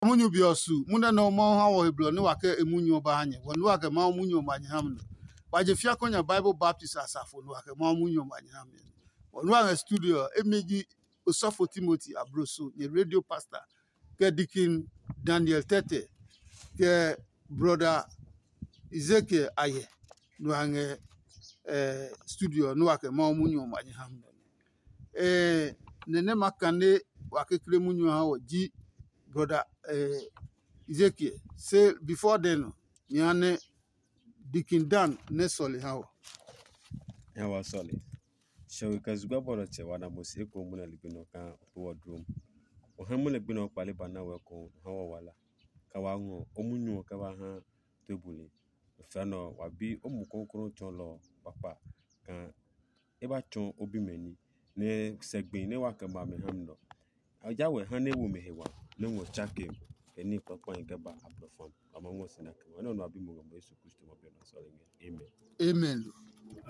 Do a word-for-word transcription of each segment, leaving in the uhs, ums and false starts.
Munyu be ɔ su munɛ nɛ ɔ Mawu ha wɔ he blɔ nɛ wa kɛ e munyu ɔ ba ha nyɛ. Wɔ nu wa kɛ Mawu munyu ɔ ma nyɛ ha mi nɔ. Wa je fia kɔ nya Bible baptist asafo nɛ wa kɛ Mawu munyu ɔ ma nyɛ ha mi. Wɔ nu wa ngɛ studio ɔ, emi ji osɔfo Timothy Abroso, nyɛ radio pastor, kɛ Deacon Daniel Tete, kɛ brother Ezekiel Ayɛ, nɛ wa ngɛ eh, studio ɔ nɛ wa kɛ Mawu munyu ɔ ma nyɛ ha mi nɔ. Eh, nɛ nɛ ma kane wa kekle munyu ɔ ha wɔ ji brother eh, Ezekiel. Se before then ɔ, nyɛ ha nɛ Deacon Dan nɛ sɔle ha wɔ. Nya wa sɔle. Shɛwe kɛ zugba bɔlɔ tsɛ wa na mo si eko munɛ ligbi nɔ kaa o kpe wɔ dlom. O hɛ munɛ gbi nɔ kpale ba na wɛ ko o ha wɔ wala. Ka wa ngɔ o munyu ɔ kɛ wa ha tue buli. Fɛɛ nɔ ɔ, wa bi o Mumi Klɔuklɔu tsɔɔlɔ ɔ kpakpa kaa e ba tsɔɔ o bimɛ ní, nɛ sɛ gbi nɛ wa kɛ ma mɛ ha mi nɔ. A ya wɛ ha nɛ e wo mɛ he wa, nɛ ngɔ tsake kɛ ní kpakpahi kɛ ba a blɔ fam. A ma ngɔ si na kɛ ma. Enɛ ɔ nɔ a bi mo ngɛ mo Yesu Kristo ma bi ɔ nɔ sɔlemi ɔ. Amen. Amen.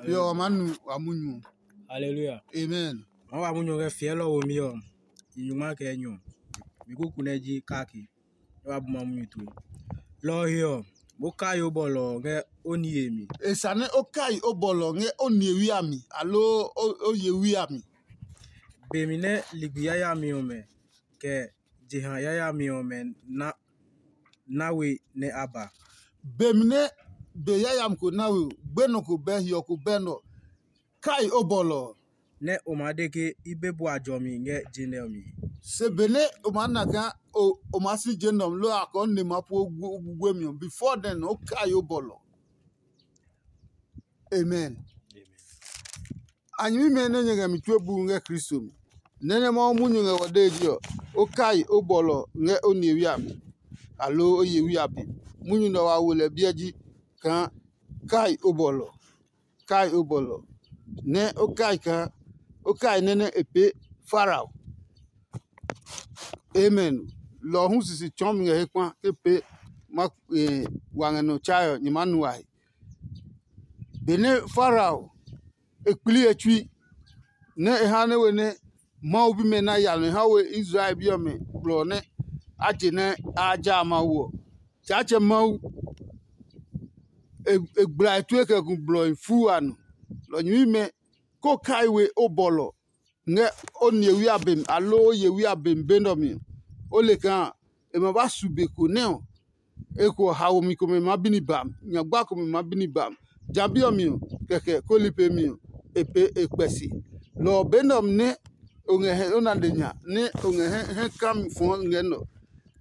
Yo, wa ma nu wa munyu. Hallelujah. Amen. Ma wa munyu kɛ fiɛlɔ wo mi ɔ, nyuma kɛ nyɔ. Mi kuku nɛ ji kaki. Nɛ wa bu ma munyu tue. Lɔ ɔ he ɔ, mo kai o bɔlɔ ɔ ngɛ o niye mi. E sa nɛ o kai o bɔlɔ ngɛ o niyewi a mi, aloo o yewi a mi. Be mi nɛ ligbi yayami ɔmɛ, kɛ jeha yayami ɔmɛ na na we nɛ a ba. Be mi nɛ be yayami ko na we, gbenɔ ko bɛ, hiɔ ko bɛ nɔ, kai o bɔlɔ ɔ. Nɛ o maa de ke i be bua jɔmi ngɛ je nɛ ɔ mi. Se benɛ o maa na kaa o maa si je nɛ ɔ mi, loo a kɔɔ ne ma puu o guguemi ɔ, before then o kai o bɔlɔ. Amen. A nyɛmimɛ nɛ nyɛ ngɛ mi tue buu ngɛ Kristo mi, nɛ nɛ Mawu munyu ngɛ wɔ dee ji ɔ, o kai o bɔlɔ ngɛ o nihewi a mi, aloo o yewi a be. Munyu nɛ wa wo lɛ biɛ ji kaa kai o bɔlɔ. Kai o bɔlɔ, nɛ o kai kaa o kai nɛ nɛ e pee Farao. Amen. Lɔ ɔ hu sisi tsɔɔ mi ngɛ he kpa ke pee ma wa ngɛ nɔ tsae ɔ, nyɛ maa nu a he. Benɛ Farao e kpli e tsui, nɛ e ha nɛ we nɛ Mawu bimɛ na yalmɛ ha we Israel bi ɔmɛ blɔ nɛ a je nɛ a ja Mawu ɔ, Tsaatsɛ Mawu e gbla e tue kɛ gu blɔhi fuu a nɔ. Lɔ nyɛmimɛ, ko kai we o bɔlɔ ngɛ o nihewi a be mi, aloo o yewi a be mi be nɛ ɔ mi ɔ, o le kaa e ma ba su be ko nɛ ɔ, eko ɔ haomi komɛ maa bi ni ba mi, nyagba komɛ maa bi ni ba mi. Ja bi ɔ mi ɔ, kɛkɛ koli pemi ɔ, e pee e kpɛ si. Lɔ ɔ be nɛ ɔ mi nɛ o ngɛ hɛ o na le nya nɛ o ngɛ hɛ kami fɔɔ ngɛ nɛ ɔ,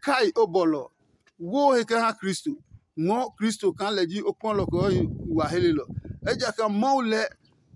kai o bɔlɔ ɔ, wo he kɛ ha Kristo. Ngɔɔ Kristo kaa lɛ ji o kpɔlɔ kɛ ɔ yi wa helelɔ. Ejakaa Mawu lɛ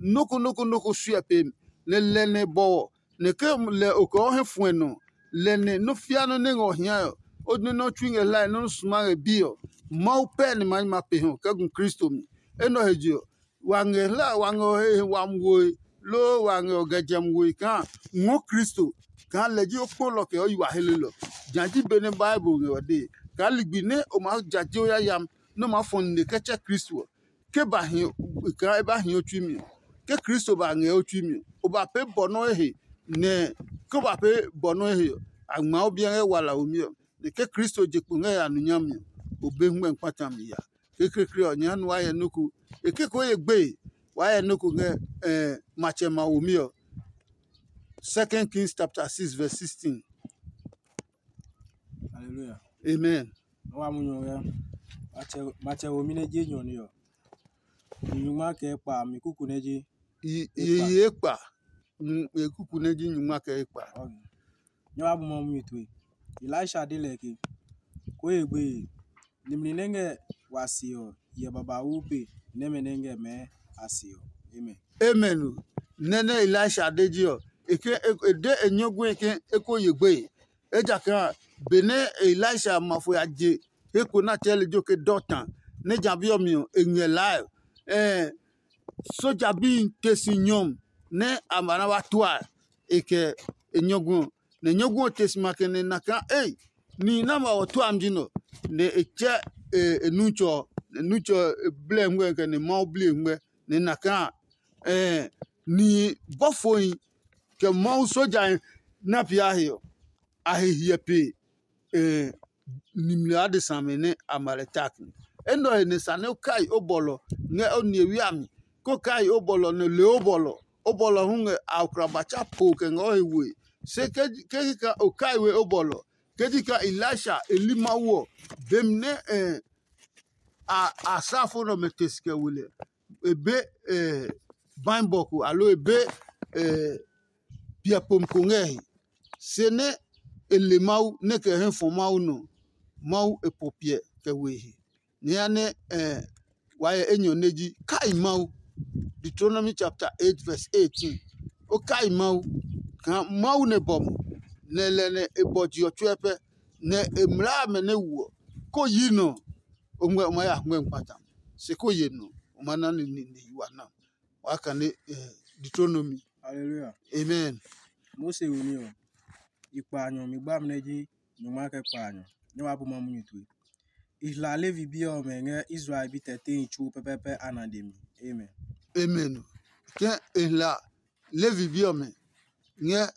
nɔ́ ko nɔ́ ko nɔ́ ko suɛ pe mi, nɛ lɛ nɛ bɔwɔ, nɛ ke lɛ o kɛ ɔ hɛ fuɛ nɔ, lɛ nɛ nɔ́ fia nɔ́ nɛ ngɛ ɔ hiae ɔ, o nɛ nɔ́ tsui ngɛ hlae nɔ́ suma ngɛ bi ɔ, Mawu pɛɛ ni ma ma pe hɔ kɛ gu Kristo mi. Enɛ ɔ he je ɔ, wa ngɛ hla wa ngɛ ɔ he wami woe, loo wa ngɛ ɔ gɛ jɛmi woe kaa ngɔɔ Kristo kaa lɛ ji o kpɔlɔ kɛ o yi wa helelɔ. Nya ji benɛ Bible ngɛ ɔ dee kaa ligbi nɛ o maa jaje o yayami nɛ o maa fɔ nine kɛ tsɛ Kristo ɔ, ke ba hi kaa e ba hi o tsui mi ɔ, ke Kristo ba ngɛ o tsui mi ɔ, o ba pee bɔ nɔ́ e he, nɛ ke o ba pee bɔ nɔ́ e he ɔ, a ngma o biɛ ngɛ wala womi ɔ. Nɛ ke Kristo je kpo ngɛ ya nu nyami ɔ, o be ngmɛ kpata mi ya. Kekleekle ɔ, nyɛ ha nu wa hyɛ nɔ́ ko. E ke ko ye gbeye, wa hyɛ nɔ́ ko ngɛ matsɛ ma womi ɔ. Second Kings chapter six verse sixteen. Hallelujah. Amen. Nɔ wa munyu ngɛ matsɛ womi nɛ je nyɔ ni ɔ. Nyuma kɛ kpa mi kuku nɛ je. Ye ye kpa. Kuku nɛ ji nyuma kɛ ekpa. Nyɛ wa bu Mawu mi tue. Elisha de lɛ ke, ko ye gbeye, nimli nɛ ngɛ wa se ɔ hyɛ babauu pe nɛmɛ nɛ ngɛ mɛɛ a se ɔ. Amen. Amen. Nɛ nɛ Elisha de ji ɔ, e ke e de e nyɔguɛ ke e ko ye gbeye. Ejakaa benɛ Elisha ma fo ya je he ko nɛ a tsɛɛ lejɛ ɔ ke Dotan, nɛ ja bi ɔ mi ɔ, e ngɛ laa ɛ, soja bihi te si nyɔmi nɛ a ma na wa tua e kɛ e nyɔguɔ ɔ. Nɛ nyɔguɔ ɔ te si ma kɛ nɛ e na kaa ei, nihi nɛ a ma wa tua mi ji nɛ ɔ. Nɛ e tsɛ e nutsɔ ɔ, nɛ nutsɔ ɔ e blɛ ngmɛ kɛ nɛ Mawu bli e ngmɛ, nɛ e na kaa nihi bɔfohi kɛ Mawu sojahi nɛ a pee a he ɔ, a he hyɛ pe nimli adesa amɛ nɛ a ma lɛ tak. Enɛ ɔ he nɛ sa nɛ o kai o bɔlɔ ngɛ o nihewi a mi, kó kai o bɔlɔ nɛ le o bɔlɔ. O bɔlɔ hu ngɛ aokrabatsa po kɛ ngɛ o he we. Se ke ke ka o kai we o bɔlɔ, ke ji ka Elisha e li Mawu ɔ, bemi nɛ a asrafo nɛ ɔmɛ te si kɛ we lɛ, e be baibɔ ko aloo e be piɛ pom ko ngɛ he. Se nɛ e le Mawu nɛ kɛ hɛ fɔ Mawu nɔ, Mawu e po piɛ kɛ we he. Nyɛɛ nɛ wa yɛ enyɔ nɛ ji kai Mawu. Deuteronomy chapter eight verse eighteen. O kai Mawu kaa Mawu nɛ bɔ mo, nɛ lɛ nɛ e bɔ je ɔ tsuɛ pɛ, nɛ e mlaa amɛ nɛ wuɔ. Ko yi nɔ, o ngmɛ o ma ya ngmɛ kpata. Se ko ye nɔ, o ma na ni ni ni wa na. Wa kane Deuteronomy. Hallelujah. Amen. Mose wo ní ɔ, i kpa a nyɔ mi gba mi nɛ ji nyɔngma kɛ kpa a nyɔ, nɛ wa bu ma munyu tue. I hla Levi bi ɔmɛ ngɛ Israel bi tɛtehi tsuo pɛpɛɛpɛ a nade mi. Amen. Amen. Ke e hla Levi bi ɔmɛ ngɛ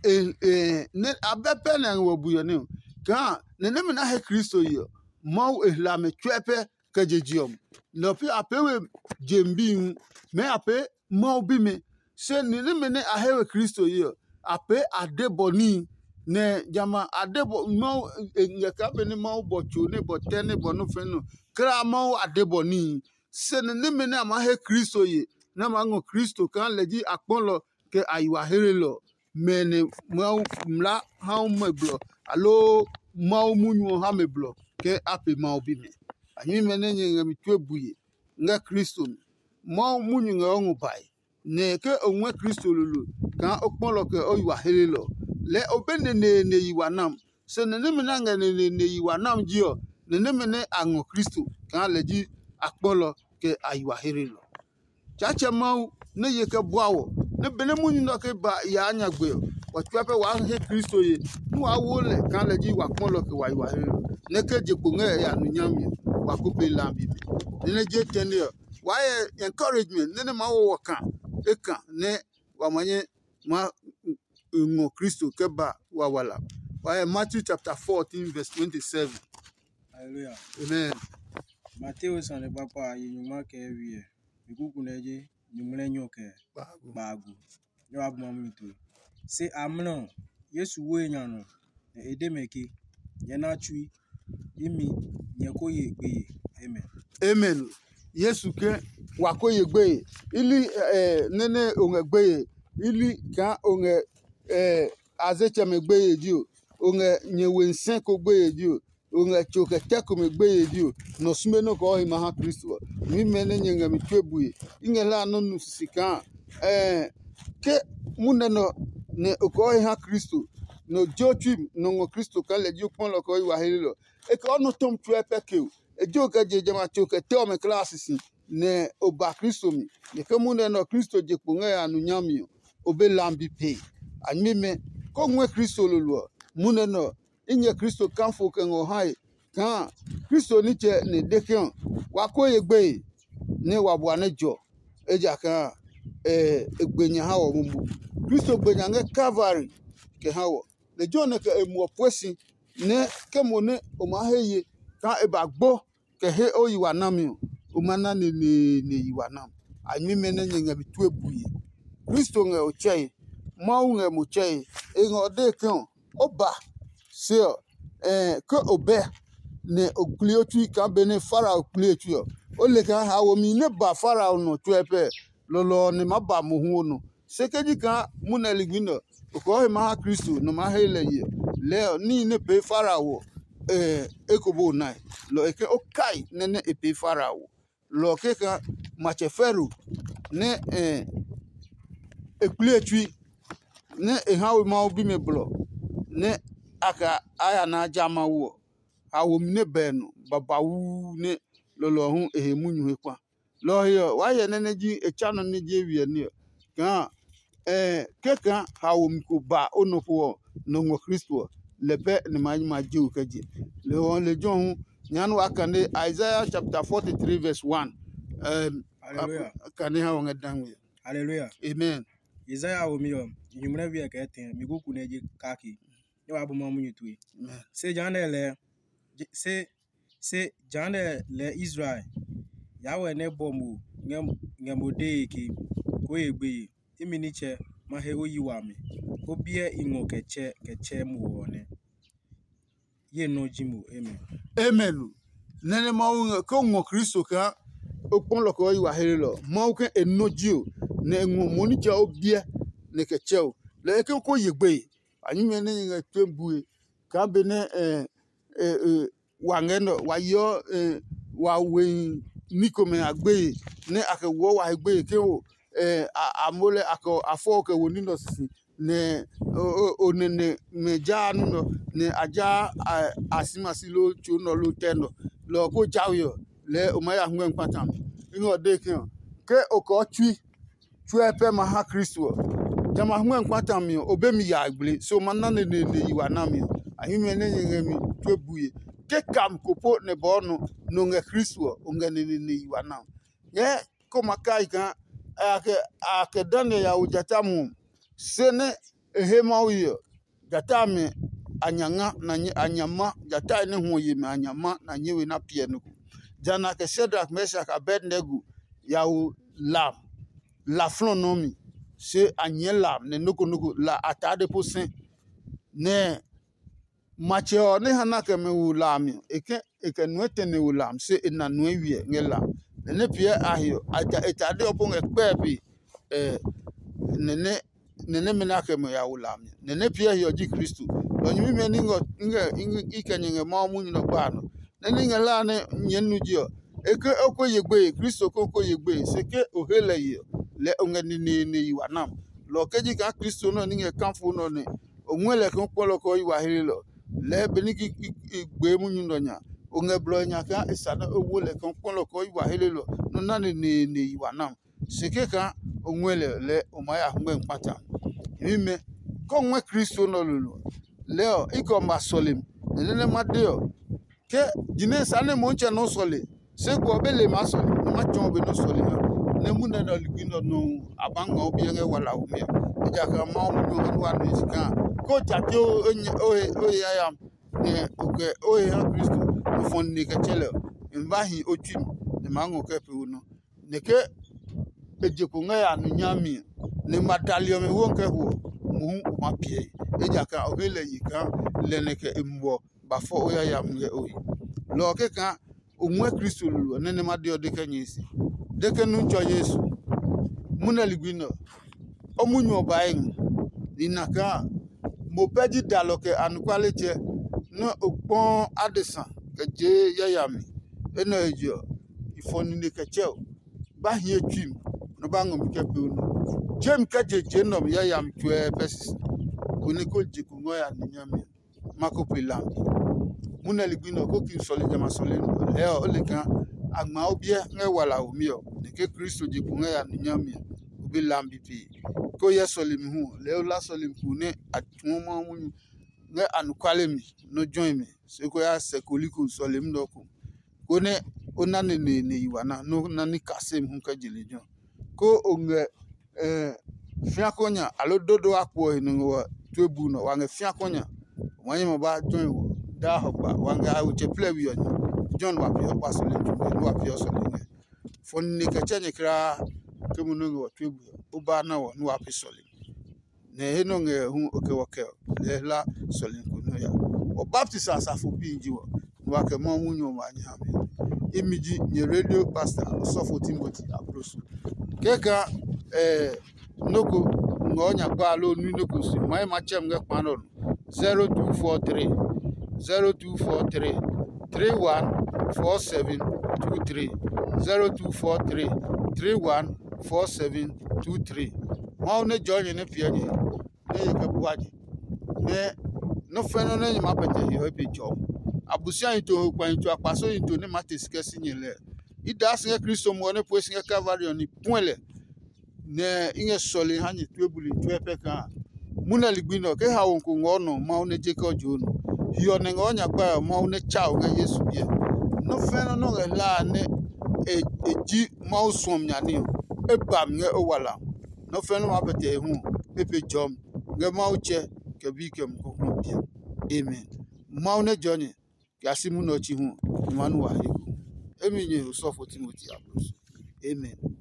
e e ne abɛ pɛ nɛ ngɛ wɔ bui ɔ ne kaa nɛ nɛmɛ na he Kristo yi ɔ, Mawu e hla mɛ tsuɛ pɛ kɛ je je ɔ. Lɔ pi a pee we jem bi hu, mɛ a pee Mawu bimɛ. Se ni nɛmɛ nɛ a he we Kristo yi ɔ, a pee a de bɔ níhi, nɛ jamɛ a de bɔ Mawu e ngɛ kaa benɛ Mawu bɔ tso nɛ bɔ tɛ nɛ bɔ nɔ́ fɛ̃ nɔ, kla Mawu a de bɔ níhi. Se ni nɛmɛ nɛ a maa he Kristo ye, nɛ a maa ngɔ Kristo kaa lɛ ji akpɔlɔ kɛ a yi wa helelɔ, mɛ nɛ Mawu mla ha mɛ blɔ, aloo Mawu munyu ɔ ha mɛ blɔ ke a pe Mawu bimɛ. A nyɛmimɛ nɛ nyɛ ngɛ mi tue bue ngɛ Kristo mi. Mawu munyu ngɛ o ngɔ bae, nɛ ke o ngɔɛ Kristo lolo kaa o kpɔlɔ kɛ o yi wa helelɔ, lɛɛ o be neneene yi wa nam. Se nɛ nɛmɛ nɛ a ngɛ neneene yi wa nam ji ɔ, nɛ nɛmɛ nɛ a ngɔ Kristo kaa lɛ ji a kpɔlɔ kɛ a yi wa helelɔ. Tsaatsɛ Mawu nɛ ye kɛ bua wɔ, nɛ benɛ munyu nɛ ɔ ke ba yaa nyagbe ɔ, wa tsuɛ pɛ waa he Kristo ye, nɛ waa wo lɛ kaa lɛ ji wa kpɔlɔ kɛ wa yi wa he ɔ, nɛ ke je kpo ngɛ ya nu nyami ɔ, wa ko pee lambi mi. Nɛ nɛ je tɛne ɔ, waa yɛ encouragement nɛ nɛ maa wo wɔ ka e ka nɛ wa ma nyɛ ma ngɔ Kristo kɛ ba wawala. Wa yɛ Matthew chapter fourteen verse twenty-seven. Hallelujah. Amen. Mateo sane kpakpa a yi nyungma kɛ wiɛ. Mi kuku nɛ je nyuŋmlɛ nyɔ kɛ kpaagu. Nyɛ wa bu ma munyu tue. Se amlɔ ɔ, Yesu wo e nya nɔ, nɛ e de mɛ ke, nyɛ na tsui, imi, nyɛ ko ye gbeye. Amen. Amen. Yesu ke wa ko ye gbeye. Ili eh, nene o ngɛ gbeye. Ili kaa o ngɛ eh, azetsɛmɛ gbeye ji o. O ngɛ nyɛ we nsɛ ko gbeye ji o. O ngɛ tso kɛ tɛ komɛ gbeye ji o, nɔ sume nɔ kɔɔ he ma ha Kristo ɔ. Nyɛmimɛ nɛ nyɛ ngɛ mi tue bue, i ngɛ hlaa nɔ́ nu sisi kaa ɛɛ ke munɛ nɔ nɛ o kɔɔ he ha Kristo, nɛ o je o tsui nɔ ngɔ Kristo kaa lɛ ji o kpɔlɔ kɛ o yi wa helelɔ. E kɛ o nɔ tɔmi tsuɛ pɛ ke o, e je o kɛ je jamɛ a tso kɛ tɛ ɔmɛ kulaa sisi, nɛ o ba Kristo mi. Nɛ ke munɛ nɛ ɔ Kristo je kpo ngɛ ya nu nyami ɔ, o be lambi pee. A nyɛmimɛ, ko ngɔɛ Kristo lolo ɔ, munɛ nɛ ɔ, i nyɛ Kristo kafo kɛ ngɔ hae kaa Kristo nitsɛ nɛ e de ke ɔ, wa ko ye gbeye nɛ wa bua nɛ jɔ, ejakaa e gbe nya ha wɔ momo. Kristo gbe nya ngɛ Kalvari kɛ ha wɔ. Lejɛ ɔ nɛ kɛ e muɔ pue si nɛ ke mo nɛ o maa he ye kaa e ba gbo kɛ he o yi wa nami ɔ, o ma na neneene yi wa nam. A nyɛmimɛ nɛ nyɛ ngɛ mi tue bue. Kristo ngɛ o tsɛe, Mawu ngɛ mo tsɛe. E ngɛ o dee ke ɔ, o ba se ɔ, ke o bɛ nɛ o kpli o tsui kaa benɛ Farao kpli e tsui ɔ, o le kaa haomi nɛ ba Farao nɔ tsuɛ pɛ, lɔlɔ ɔ nɛ maa ba mohu o nɔ. Se ke ji kaa munɛ ligbi nɛ ɔ, o kɔɔ he ma ha Kristo nɛ o maa he lɛ ye ɔ, lɛɛ ɔ, níhi nɛ pee Farao ɔ, eko bo nae. Lɔ ɔ he ke o kai nɛ nɛ e pee Farao ɔ. Lɔ ɔ kɛkaa matsɛ Fero nɛ e kpli e tsui, nɛ e ha we Mawu bimɛ blɔ, nɛ a kɛ a ya na ja Mawu ɔ, haomi nɛ bɛ nɔ babauu nɛ lɔlɔ ɔ hu e he munyu he kpa. Lɔ ɔ he ɔ, waa hyɛ nɛ nɛ ji e tsa nɔ nɛ je wiɛ ní ɔ, kaa kɛkaa haomi ko ba o nɔ ko ɔ nɔ ngɔ Kristo ɔ, lɛ pɛ nɛ ma yi ma je we kɛ je. Lɔ ɔ lejɛ ɔ hu, nya nɛ waa kane Isaiah chapter forty-three verse one. Hallelujah. Kane ha wɔ ngɛ dangme. Hallelujah. Amen. Isaiah wo mi ɔ, nyumu nɛ wiɛ kɛ tɛ mi kuku nɛ je kake. Nyɛ wa bu ma munyu tue. Amen. Se jehanɛ lɛɛ, se se jehanɛ lɛɛ Israel yaa wɛ nɛ bɔ mo ngɛ mo dee ke, koo ye gbeye, imi nitsɛ, ma he o yi wami, o biɛ i ngɔ kɛ tsɛ kɛ tsɛ mo ɔ nɛ. Ye nɔ ji mo. Amen. Amen. Nɛnɛ Mawu ngɛ ke o ngɔ Kristo kaa o kpɔ lɔ kɛ o yi wa hlelɔ. Mawu ke e nɔ ji o, nɛ e ngɔ mo nitsɛ o biɛ nɛ kɛ tsɛ o. Lɔ ɔ ke ko ye gbeye. A nyumiɛ nɛ nyɛ ngɛ tue bue kaa benɛ wa ngɛ nɛ ɔ, wa yeɔ wa wehi ní komɛ a gbeye nɛ a kɛ woɔ wa he gbeye ke o a mo lɛ a fɔ kɛ wo ní nɛ ɔ sisi. Nɛ o nɛnɛ mɛ jaa nɔ́ nɛ a jaa a si ma si loo tso nɔ loo tɛ nɔ. Lɔ ɔ ko jawe ɔ, lɛɛ o maa ya ngmɛ́ kpata. I ngɛ o dee ke ɔ, ke o kɔɔ tsui tsuɛ pɛ ma ha Kristo ɔ, jamɛ a ngmɛ́ kpata mi ɔ, o be mi ya gble, se o ma na neneene yi wa nami ɔ. A himi ɔ nɛ nyɛ ngɛ mi tue bue. Ke kam ko po nɛ bɔɔ nɔ nɔ ngɛ Kristo ɔ, o ngɛ neneene yi wa na. Nyɛɛ ko ma kai kaa a kɛ a kɛ Daniel ya wo jata muɔ, se nɛ e he Mawu ye ɔ, jata amɛ a nya nga na a nya ma, jata nɛ hwɔ yemi a nya ma na nyɛ we na piɛ nɔ ko. Jana kɛ Shadrak, Meshak, Abednego ya wo la la flɔ nɔ mi, se a nyɛɛ la nɛ noko noko la a taa de po sɛ. Nɛ matsɛ ɔ nɛ ha na kɛ mɛ wo la a mi ɔ, e kɛ e kɛ nuɛ tɛnɛ wo la a mi, se e na nuɛ wiɛ ngɛ la a mi. Nɛ nɛ piɛ a he ɔ, a ja e tade ɔ po ngɛ kpɛe pe ɛ nɛ nɛ nɛ nɛmɛ nɛ a kɛ mɛ ya wo la a mi. Nɛ nɛ piɛ he ɔ ji Kristo. Lɔ nyɛmimɛ ní ngɛ i kɛ nyɛ ngɛ Mawu munyu nɛ gba a nɔ. Nɛ ní ngɛ hlaa nɛ nyɛɛ nu je ɔ, e ke o ko ye gbeye, Kristo ko ko ye gbeye, se ke o he lɛ ye ɔ, lɛ o ngɛ neneene yi wa nam. Lɔ ɔ ke ji kaa Kristo nɛ ɔ ní ngɛ kafo nɛ ɔ nɛ o ngɔɛ lɛ kaa o kpɔ lɛ ɔ kɛ o yi wa hlelɔ. Lɛɛ benɛ i gbee munyu nɛ ɔ nya, o ngɛ blɔhi nya kaa e sa nɛ o wo lɛ kaa o kpɔ lɛ ɔ kɛ o yi wa hlelɔ nɛ o na neneene yi wa nam. Se kɛkaa o ngɔɛ lɛ lɛɛ o maa ya ngmɛ́ kpata. Nyɛmimɛ, ke o ngɔɛ Kristo nɛ ɔ lolo ɔ, lɛɛ ɔ, i kɛ ɔ ma sɔlemi, nɛ nɛ nɛ ma de ɔ, ke jinɛ sa nɛ Motsɛ nɔ sɔle, se ko ɔ be le maa sɔle, nɛ ma tsɔɔ be nɔ sɔle ha, nɛ munɛ nɛ ɔ ligbi nɛ ɔ nɔuu a maa ngma o biɛ ngɛ walaho mi ɔ. Ejakaa Mawu munyu ɔ nɛ wa nue si kaa ke o ja tee o he yayami, nɛ o kɛ o he ha Kristo nɔ fɔ nine kɛ tsɛ lɛ ɔ, e ma ba hi o tsui mi, nɛ e maa ngɔ kɛ pee o nɔ. Nɛ ke e je kpo ngɛ ya nu nyami ɔ, nɛ ma dali ɔmɛ wo ngɛ kɛ ho ɔ, mohu o maa piɛe, ejakaa o he lɛ ye kaa lɛ nɛ kɛ e muɔ ba fɔ o yayami ngɛ o he. Lɔ ɔ kɛkaa o ngɔɛ Kristo lolo ɔ, nɛ nɛ ma de ɔ de kɛ nyɛe se. De ke Nutsɔ Yesu, munɛ ligbi nɛ ɔ, o munyu ɔ bae ngɔ. Nina kaa mo pɛ ji dalɔ kɛ anɔkualetsɛ nɛ o kpɔɔ adesa kɛ jee yayami. Enɛ he je ɔ, i fɔ nine kɛ tsɛ o, ba hie tsui mi, nɔ ba ngɔ mi kɛ pee o nɔ. Tsɛɛ mi kɛ je je nɛ ɔ mi yayami tsuɛ pɛ sisi, konɛ ko je kungɔ ya ni nyami. Ma ko pe lambi. Munɛ ligbi nɛ ɔ ko ki sɔle jamɛ a sɔle nɔ lɛɛ ɔ, o le kaa a ngma o biɛ ngɛ walaho mi ɔ, nɛ ke Kristo je kpo ngɛ ya ni nyami ɔ, o be lambi pee. Ke o hyɛ sɔlemi hu ɔ, lɛɛ o la sɔlemi ko nɛ a tuɔ Mawu munyu ngɛ anɔkuale mi nɔ́ jɔi mi, se ko ya sɛ koliko sɔlemi nɛ ɔ ko, konɛ o na neneene yi wa na nɛ o na ní kasemi hu kɛ je lejɛ ɔ. Ko o ngɛ fiako nya aloo dodo akpo ɔ he nɔ ngɛ wa tue buu nɔ, wa ngɛ fiako nya, o ma nyɛ ma ba jɔi wɔ daa hɔgba, wa ngɛ a we tsɛ plɛ we ɔ nya. Jɔn wa peeɔ kpa sɔlemi tsuke nɛ wa peeɔ sɔlemi ngɛ. Fɔ nine kɛ tsɛ nyɛ kulaa ke mo nɔ́ ngɛ wɔ tue bue ɔ, o ba na wɔ nɛ wa pe sɔlemi. Nɛ he nɔ ngɛ hu o kɛ wɔ kɛ ɔ, lɛɛ hla sɔlemi ko nɔ ya. Wɔ baptisi a safo pi ji wɔ, nɛ wa kɛ Mawu munyu ɔ ma nyɛ ha mi. Imi ji nyɛ radio pastor osɔfo Timothy Aproso. Kɛka eh, noko ngɔ nya gba lo nui noko si mai ma chem ngɛ kpa nɔ. Zero two four three, zero two four three, three one four seven two three, zero two four three, three one four seven two three. Mawu ne jɔ nyɛ ne piɛ nyɛ ne ye kɛ bua nyɛ ne nɔ fɛ nɔ ne nyɛ ma pɛtɛ hiɔ be jɔ. Abusia yi to ho kpa yi to akpaso yi to ne ma te sikɛ si nyɛ lɛ. I daa si ngɛ Kristo muɔ ne pue si ngɛ Kalvari ɔ ni puɛ lɛ nɛ i ngɛ sɔle ha nyɛ tue buli tue pɛ kaa munɛ ligbi nɛ ɔ ke haoho ko ngɔɔ nɔ Mawu nɛ je kɛ ɔ joo nɔ. Hiɔ nɛ ngɔɔ nyakpae ɔ Mawu nɛ tsa o ngɛ Yesu biɛ. Nɔ́ fɛ́nɔ nɔ́ ngɛ hlaa nɛ e ji Mawu suɔmi nya ní ɔ, e ba mi ngɛ o wala. Nɔ́ fɛ́nɔ maa pɛtɛ e hu ɔ, e pe jɔmi ngɛ Mawu tsɛ kɛ bi kɛ mukɔkɔ biɛ. Amen. Mawu nɛ jɔ nyɛ. kɛ ya si munɛ ɔ tsi hu, i ma nu wa he ko. Emi nyɛ osɔfo Timoti ablo so. Amen.